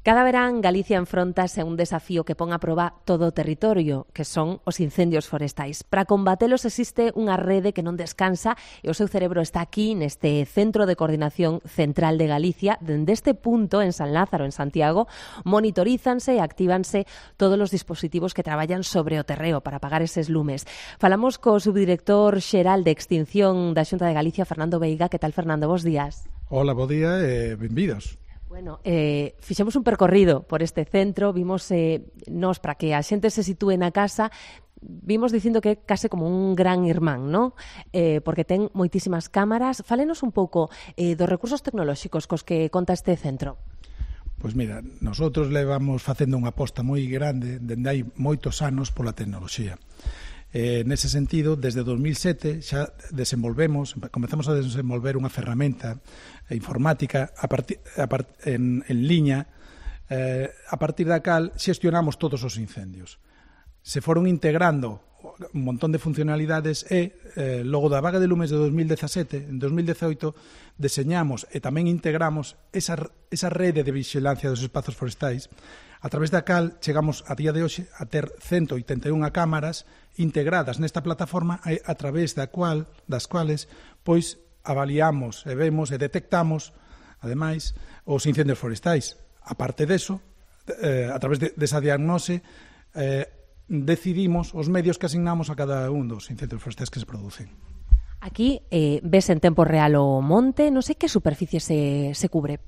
Cada verán Galicia enfróntase a un desafío que pon a proba todo o territorio, que son os incendios forestais. Para combatelos existe unha rede que non descansa e o seu cerebro está aquí neste Centro de Coordinación Central de Galicia. Dende este punto, en San Lázaro, en Santiago, monitorízanse e actívanse todos os dispositivos que traballan sobre o terreo para apagar eses lumes. Falamos co subdirector xeral de Extinción da Xunta de Galicia, Fernando Veiga. Que tal, Fernando? Bos días. Hola, bo día e benvidos. Bueno, fixemos un percorrido por este centro, vimos nos, para que a xente se sitúe na casa, vimos dicindo que é case como un gran irmán, ¿no? Porque ten moitísimas cámaras. Fálenos un pouco dos recursos tecnolóxicos cos que conta este centro. Pois mira, nosotros levamos facendo unha aposta moi grande dende hai moitos anos pola tecnoloxía. Nese sentido, desde 2007 xa comezamos a desenvolver unha ferramenta informática en liña, a partir da cal xestionamos todos os incendios. Se foron integrando un montón de funcionalidades e logo da vaga de lumes de 2017, en 2018 deseñamos e tamén integramos esa rede de vigilancia dos espazos forestais, a través da cal chegamos a día de hoxe a ter 181 cámaras integradas nesta plataforma a través das cuales pois avaliamos e vemos e detectamos ademais os incendios forestais. A parte deso, a través desa diagnose decidimos os medios que asignamos a cada un dos incendios forestais que se producen. Aquí ves en tempo real o monte, non sei que superficie se cubre.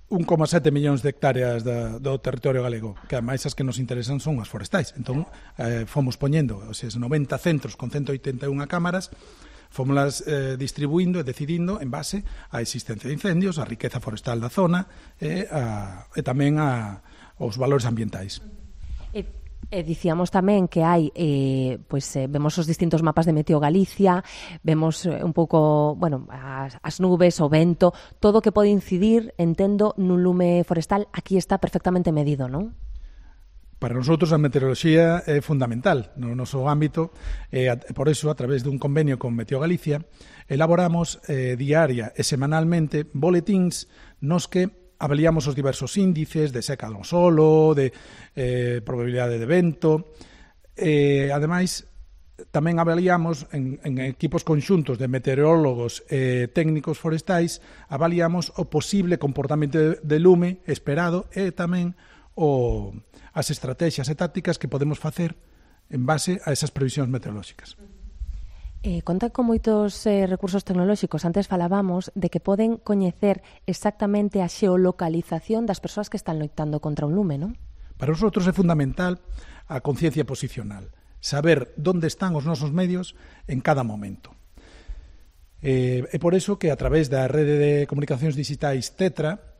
1,7 millóns de hectáreas do territorio galego, que ademais as que nos interesan son as forestais. Entón, fomos poñendo os 90 centros con 181 cámaras, fomoslas distribuindo e decidindo en base á existencia de incendios, á riqueza forestal da zona e tamén aos valores ambientais. Dicíamos tamén que hai, vemos os distintos mapas de Meteo Galicia, vemos un pouco, as nubes, o vento, todo o que pode incidir, entendo, nun lume forestal, aquí está perfectamente medido, non? Para nosotros a meteoroloxía é fundamental no noso ámbito e por iso, a través dun convenio con Meteo Galicia, elaboramos diaria e semanalmente boletíns nos que avaliamos os diversos índices de seca do solo, de probabilidade de vento. Ademais, tamén avaliamos en equipos conxuntos de meteorólogos e técnicos forestais, avaliamos o posible comportamento de lume esperado e tamén as estrategias e tácticas que podemos facer en base a esas previsións meteorolóxicas. Conta con moitos recursos tecnolóxicos. Antes falábamos de que poden coñecer exactamente a xeolocalización das persoas que están loitando contra un lume, non? Para nosotros é fundamental a conciencia posicional, saber onde están os nosos medios en cada momento. É por eso que a través da rede de comunicacións digitais Tetra,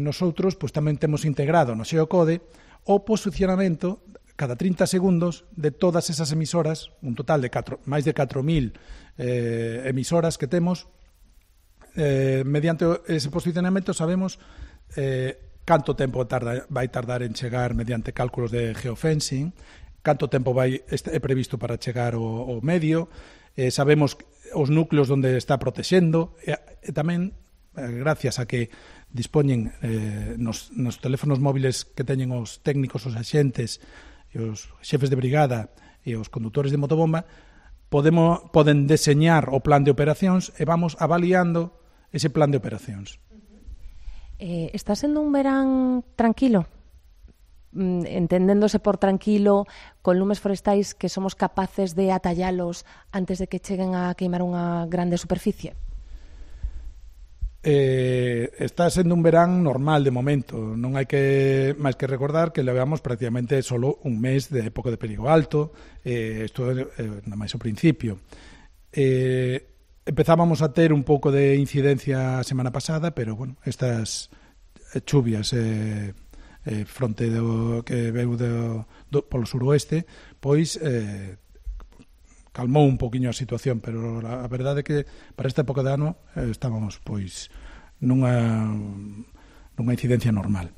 nosotros tamén temos integrado no xeocode o posicionamento cada 30 segundos de todas esas emisoras, un total de máis de 4.000 emisoras que temos. Mediante ese posicionamento sabemos canto tempo vai tardar en chegar mediante cálculos de geofencing, canto tempo é previsto para chegar ao medio, sabemos os núcleos onde está protexendo, e tamén, gracias a que dispoñen nos teléfonos móviles que teñen os técnicos, os axentes, e os xefes de brigada e os condutores de motobomba, poden deseñar o plan de operacións e vamos avaliando ese plan de operacións. Está sendo un verán tranquilo? Entendéndose por tranquilo, con lumes forestais que somos capaces de atallalos antes de que cheguen a queimar unha grande superficie? Está sendo un verán normal de momento. Non hai que máis que recordar que levamos prácticamente solo un mes de época de perigo alto. Isto é nada máis o principio. Empezábamos a ter un pouco de incidencia a semana pasada, pero estas chuvias fronte que veu polo suroeste, pois calmou un poquinho a situación, pero a verdade é que para esta época de ano estábamos nunha incidencia normal.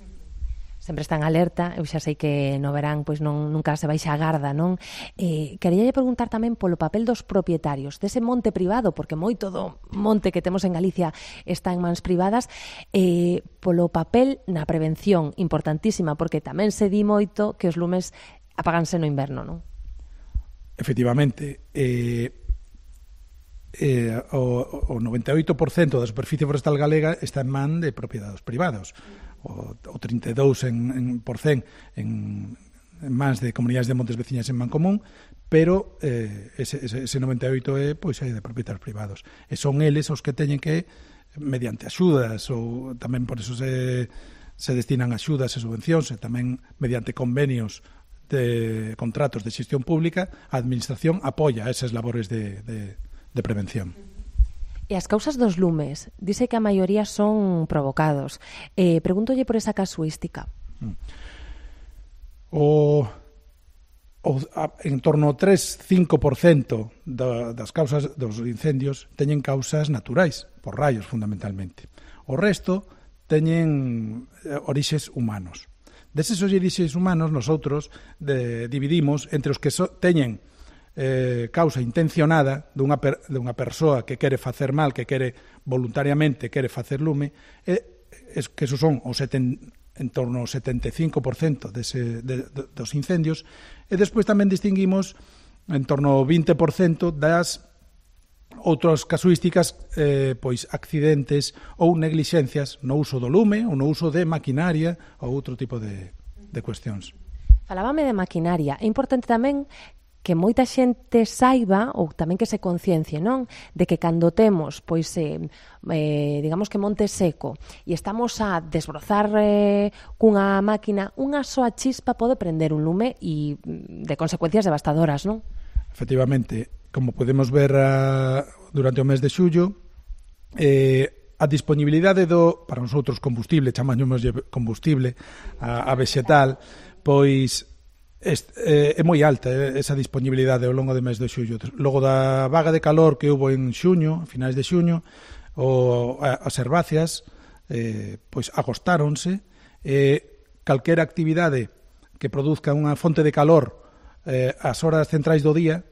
Sempre está en alerta, eu xa sei que no verán pois nunca se baixa a garda, non? Queríalle preguntar tamén polo papel dos propietarios dese monte privado, porque moito do monte que temos en Galicia está en mans privadas, polo papel na prevención, importantísima, porque tamén se di moito que os lumes apáganse no inverno, non? Efectivamente, o 98% da superficie forestal galega está en man de propiedades privados, o 32% en mans de comunidades de montes veciñas en man común, pero ese 98% é de propietarios privados, e son eles os que teñen que, mediante axudas, ou tamén por eso se destinan axudas e subvencións, e tamén mediante convenios de contratos de xestión pública, a administración apoia esas labores de prevención. E as causas dos lumes, dice que a maioría son provocados. Pregúntolle por esa casuística. En torno ao 3-5% das causas dos incendios teñen causas naturais, por raios fundamentalmente. O resto teñen orixes humanos. Deses orixes humanos, nosotros dividimos entre os que teñen causa intencionada dunha persoa que quere facer mal, que quere voluntariamente facer lume, que esos son en torno ao 75% dos incendios, e despois tamén distinguimos en torno ao 20% das outras casuísticas, pois accidentes ou neglixencias no uso do lume ou no uso de maquinaria ou outro tipo de cuestións. Falábame de maquinaria. É importante tamén que moita xente saiba, ou tamén que se conciencie, non? De que cando temos, pois, digamos que monte seco, e estamos a desbrozar cunha máquina, unha soa chispa pode prender un lume e de consecuencias devastadoras, non? Efectivamente, como podemos ver durante o mes de xullo, a disponibilidade para nosotros combustible, chamámoslle combustible, a vexetal, pois é moi alta esa disponibilidade ao longo do mes de xullo. Logo da vaga de calor que houve en xuño, a finais de xuño, as herbáceas pois agostáronse, calquera actividade que produzca unha fonte de calor ás horas centrais do día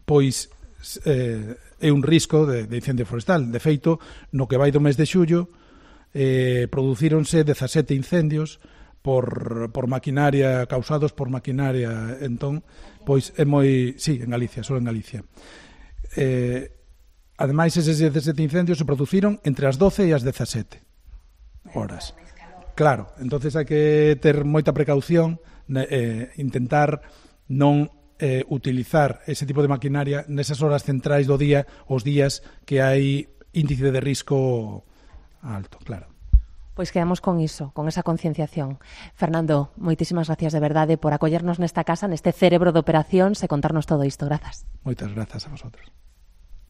pois é un risco de incendio forestal. De feito, no que vai do mes de xullo producíronse 17 incendios por maquinaria, causados por maquinaria. Entón, pois é moi... Sí, en Galicia, só en Galicia. Ademais, eses 17 incendios se produciron entre as 12 e as 17 horas. Claro, entonces hai que ter moita precaución, intentar non utilizar ese tipo de maquinaria nesas horas centrais do día, os días que hai índice de risco alto, claro. Pois quedamos con iso, con esa concienciación. Fernando, moitísimas gracias de verdade por acollernos nesta casa, neste cerebro de operacións e contarnos todo isto. Grazas. Moitas grazas a vosotros.